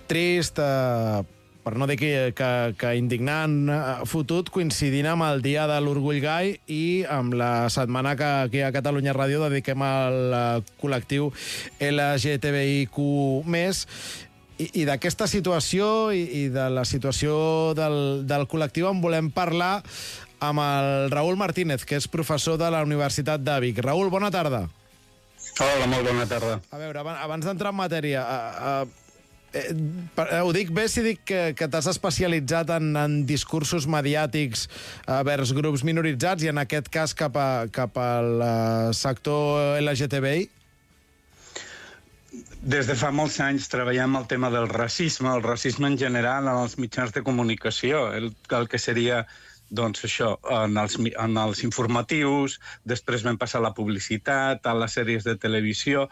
trist, per no dir que indignant, fotut, coincidint amb el Dia de l'Orgull Gai i amb la setmana que aquí a Catalunya Ràdio dediquem al col·lectiu LGTBIQ+. I d'aquesta situació i de la situació del col·lectiu en volem parlar amb el Raül Martínez, que és professor de la Universitat de Vic. Raül, bona tarda. Hola, molt bona tarda. A veure, abans d'entrar en matèria, ho dic bé si dic que t'has especialitzat en discursos mediàtics vers grups minoritzats i en aquest cas cap al sector LGTBI? Des de fa molts anys treballem el tema del racisme, el racisme en general en els mitjans de comunicació, el que seria doncs això, en els informatius, després vam passar a la publicitat, a les sèries de televisió,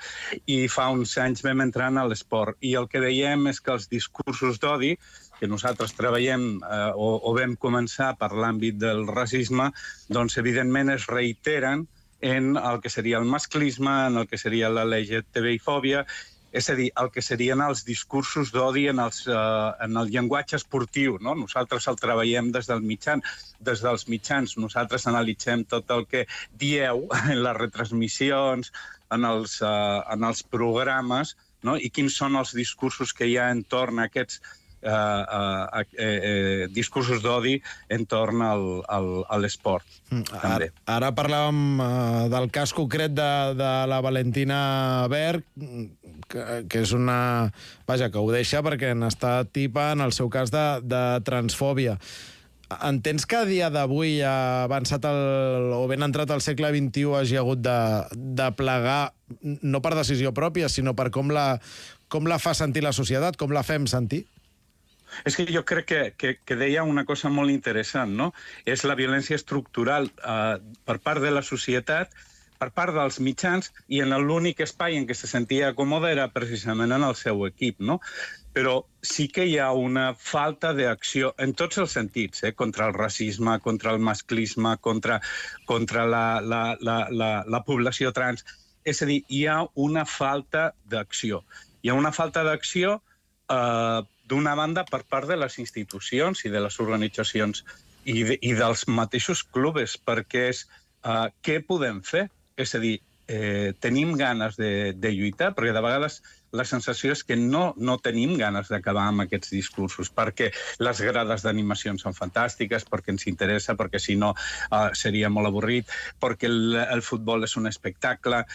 i fa uns anys vam entrar a l'esport. I el que veiem és que els discursos d'odi, que nosaltres treballem o vam començar per l'àmbit del racisme, doncs evidentment es reiteren en el que seria el masclisme, en el que seria la LGTBI-fòbia, és a dir, el que serien els discursos d'odi en el llenguatge esportiu, no? Nosaltres el treballem des dels mitjans, nosaltres analitzem tot el que dieu en les retransmissions, en els programes, no? I quins són els discursos que hi ha entorn a aquests discursos d'odi entorn a l'esport. Ara parlàvem del cas concret de la Valentina Berg, que és una... Vaja, que ho deixa perquè n'està tipa en el seu cas de transfòbia. Entens que a dia d'avui, avançat o ben entrat al segle XXI, hagi hagut de plegar, no per decisió pròpia, sinó per com la fa sentir la societat, com la fem sentir? És que jo crec que deia una cosa molt interessant, no? És la violència estructural per part de la societat, per part dels mitjans, i en l'únic espai en què se sentia còmode era precisament en el seu equip, no? Però sí que hi ha una falta d'acció en tots els sentits, contra el racisme, contra el masclisme, contra la població trans. És a dir, hi ha una falta d'acció. Hi ha una falta d'acció d'una banda per part de les institucions i de les organitzacions i dels mateixos clubs, perquè és què podem fer? És a dir, tenim ganes de lluitar, perquè de vegades la sensació és que no tenim ganes d'acabar amb aquests discursos, perquè les grades d'animacions són fantàstiques, perquè ens interessa, perquè si no seria molt avorrit, perquè el futbol és un espectacle,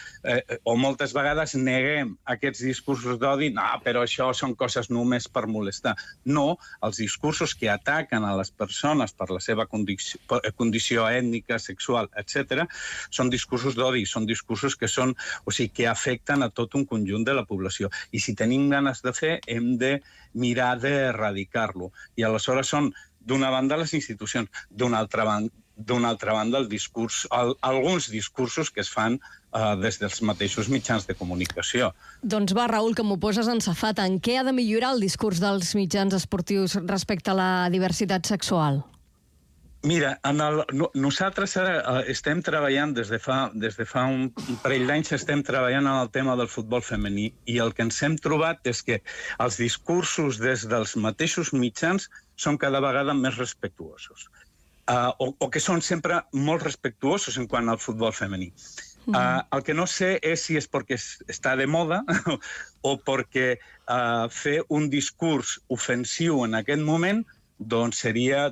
o moltes vegades neguem aquests discursos d'odi, no, però això són coses només per molestar. No, els discursos que ataquen a les persones per la seva condició ètnica, sexual, etc., són discursos d'odi, són discursos que afecten a tot un conjunt de la població. I si tenim ganes de fer, hem de mirar d'erradicar-lo. I aleshores són, d'una banda, les institucions, d'una altra banda, alguns discursos que es fan des dels mateixos mitjans de comunicació. Doncs va, Raül, que m'ho poses en safata. En què ha de millorar el discurs dels mitjans esportius respecte a la diversitat sexual? Mira, nosaltres ara estem treballant, des de fa un parell d'anys estem treballant en el tema del futbol femení, i el que ens hem trobat és que els discursos des dels mateixos mitjans són cada vegada més respectuosos, o que són sempre molt respectuosos en quant al futbol femení. El que no sé és si és perquè està de moda o perquè fer un discurs ofensiu en aquest moment seria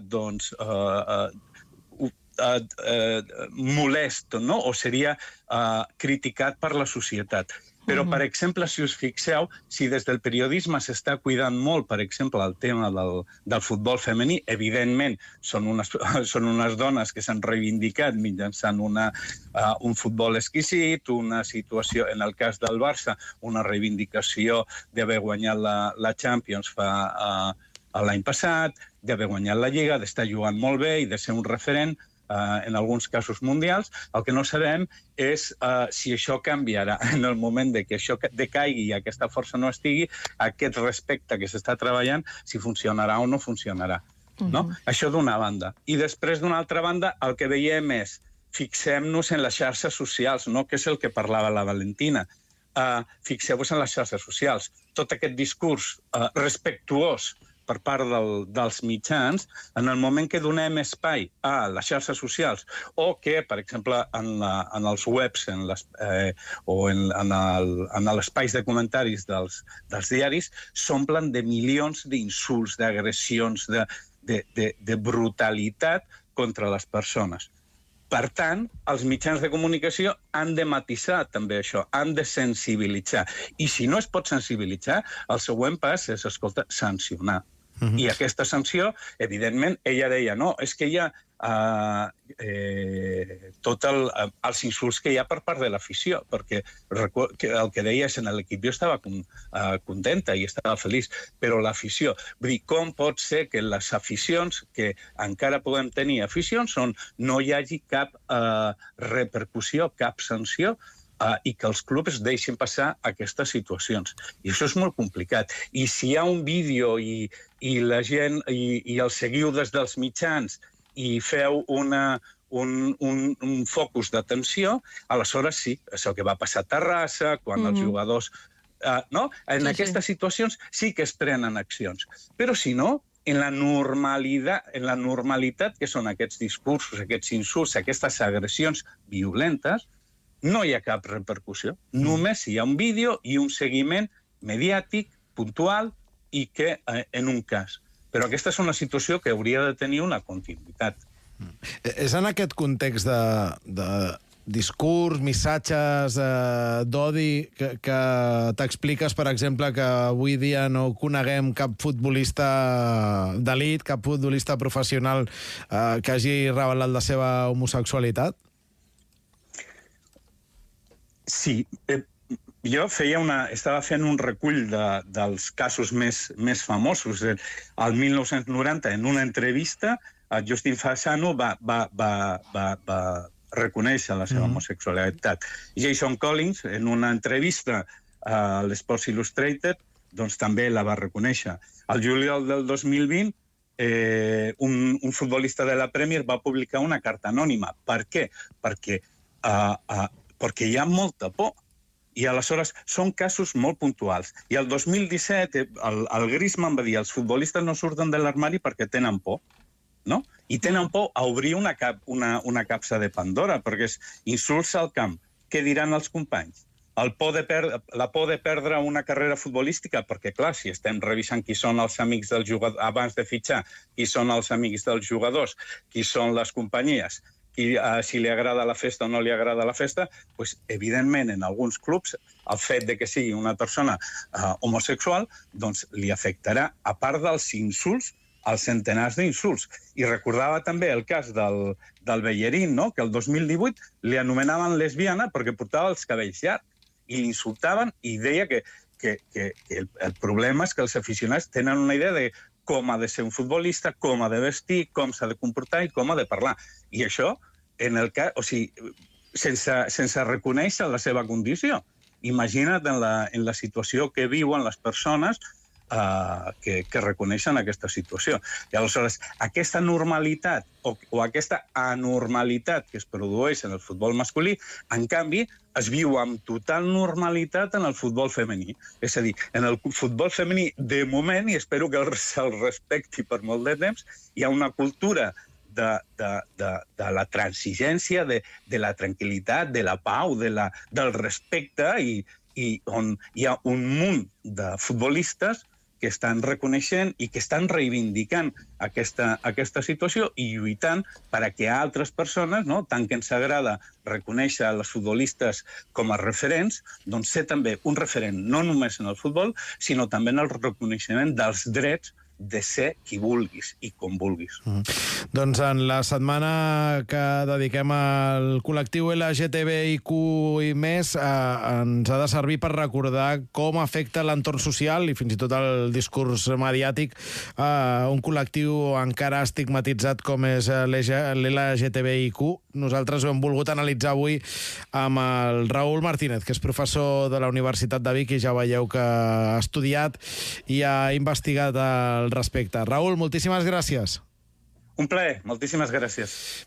molest, no? O seria criticat per la societat. Però, per exemple, si us fixeu, si des del periodisme s'està cuidant molt, per exemple, el tema del futbol femení, evidentment són unes dones que s'han reivindicat mitjançant un futbol exquisit, una situació, en el cas del Barça, una reivindicació d'haver guanyat la Champions l'any passat, d'haver guanyat la Lliga, d'estar jugant molt bé i de ser un referent en alguns casos mundials. El que no sabem és si això canviarà en el moment que això decaigui i aquesta força no estigui, aquest respecte que s'està treballant, si funcionarà o no funcionarà. Això d'una banda. I després, d'una altra banda, el que veiem és, fixem-nos en les xarxes socials, que és el que parlava la Valentina. Fixeu-vos en les xarxes socials. Tot aquest discurs respectuós per part dels mitjans, en el moment que donem espai a les xarxes socials o que, per exemple, en els webs o en els espais de comentaris dels diaris, s'omplen de milions d'insults, d'agressions, de brutalitat contra les persones. Per tant, els mitjans de comunicació han de matisar també això, han de sensibilitzar. I si no es pot sensibilitzar, el següent pas és, escolta, sancionar. I aquesta sanció, evidentment, ella deia, no, és que hi ha tots els insults que hi ha per part de l'afició, perquè el que deia és en l'equip jo estava contenta i estava feliç, però l'afició, vull dir, com pot ser que les aficions, que encara podem tenir aficions, on no hi hagi cap repercussió, cap sanció, i que els clubs deixin passar aquestes situacions. I això és molt complicat. I si hi ha un vídeo i la gent, i el seguiu des dels mitjans i feu un focus d'atenció, aleshores sí, això que va passar a Terrassa, quan els jugadors... En aquestes situacions sí que es prenen accions. Però si no, en la normalitat que són aquests discursos, aquests insults, aquestes agressions violentes, no hi ha cap repercussió. Només hi ha un vídeo i un seguiment mediàtic, puntual, i que en un cas. Però aquesta és una situació que hauria de tenir una continuïtat. És en aquest context de discurs, missatges d'odi que t'expliques, per exemple, que avui dia no coneguem cap futbolista d'elit, cap futbolista professional que hagi revelat la seva homosexualitat? Sí, jo estava fent un recull dels casos més famosos. Al 1990, en una entrevista, Justin Fasano va reconèixer la seva homosexualitat. Jason Collins, en una entrevista a l'Sports Illustrated, doncs també la va reconèixer. Al juliol del 2020, un futbolista de la Premier va publicar una carta anònima. Per què? Perquè hi ha molta por. I aleshores són casos molt puntuals. I el 2017 el Griezmann va dir els futbolistes no surten de l'armari perquè tenen por, no? I tenen por a obrir una capsa de Pandora, perquè és insults al camp. Què diran els companys? La por de perdre una carrera futbolística, perquè, clar, si estem revisant qui són els amics del jugador abans de fitxar, qui són els amics dels jugadors, qui són les companyies, si li agrada la festa o no li agrada la festa, doncs, evidentment, en alguns clubs, el fet de que sigui una persona homosexual doncs li afectarà, a part dels insults, als centenars d'insults. I recordava també el cas del Bellerín, no? Que el 2018 li anomenaven lesbiana perquè portava els cabells llargs i l'insultaven i deia que el problema és que els aficionats tenen una idea de com ha de ser un futbolista, com ha de vestir, com s'ha de comportar i com ha de parlar. I això, sense reconèixer la seva condició. Imagina't en la situació que viuen les persones que reconeixen aquesta situació. I aleshores, aquesta normalitat o aquesta anormalitat que es produeix en el futbol masculí, en canvi, es viu amb total normalitat en el futbol femení. És a dir, en el futbol femení, de moment, i espero que se'l respecti per molt de temps, hi ha una cultura de la transigència, de la tranquil·litat, de la pau, del respecte, i on hi ha un munt de futbolistes que estan reconeixent i que estan reivindicant aquesta situació i lluitant perquè altres persones, tant que ens agrada reconèixer els futbolistes com a referents, doncs ser també un referent no només en el futbol, sinó també en el reconeixement dels drets de ser qui vulguis i com vulguis. Doncs en la setmana que dediquem al col·lectiu LGTBIQ i més, ens ha de servir per recordar com afecta l'entorn social i fins i tot el discurs mediàtic un col·lectiu encara estigmatitzat com és l'LGTBIQ. Nosaltres ho hem volgut analitzar avui amb el Raúl Martínez, que és professor de la Universitat de Vic i ja veieu que ha estudiat i ha investigat al respecte. Raúl, moltíssimes gràcies. Un plaer, moltíssimes gràcies.